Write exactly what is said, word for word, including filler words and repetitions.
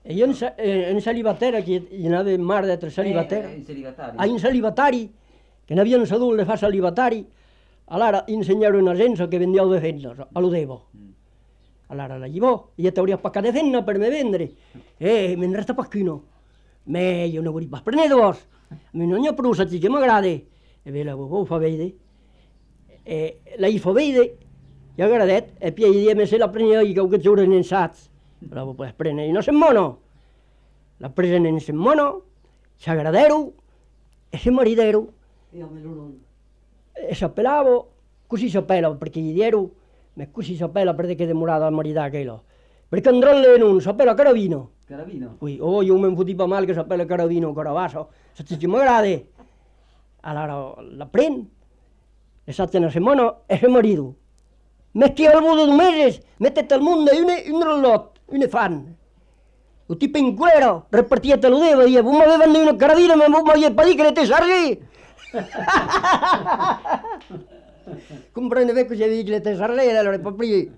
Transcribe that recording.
E io in, eh, in celibatera, che hi anava mare d'altre celibatera, Eh, in celibatari. a in celibatari, che n'havien sabut de fa celibatari, allora insegnare una gente che vendeva de fenna, a lo devo. Mm. Allora la llevò, io ti hauria paccat de fenna per me vendere, e me ne resta qualcuno. Me io ne voglio pas prendere vos, a mi non hi ha prou saig che m'agrada, e ve la ho fa vedere, e la hi fa vedere, i ha agradat, e poi io me se la prenia io che giuro in saps, la ho pas prendere, no sem mono, la presen in sem mono, s'agradero, e se maridero, e s'appellavo, così s'appella, perché gli diero, ma così s'appella perché demorava a maridare quello, perché andranno non s'appella Caravino. Caravino? Ui, oh, io mi fotiva male che s'appella Caravino, Caravaso, se ci m'agrada, allora la prendo, le satte una settimana e se marido. Metti al modo due mesi, mettete al mondo e un rollot, un fan. Un tipo in cuero, repartiete lo devo, io, voi mi avevano una Caravino, ma voi mi avete detto che te sarli. Comprende che cosa dice le tesarelle, allora poi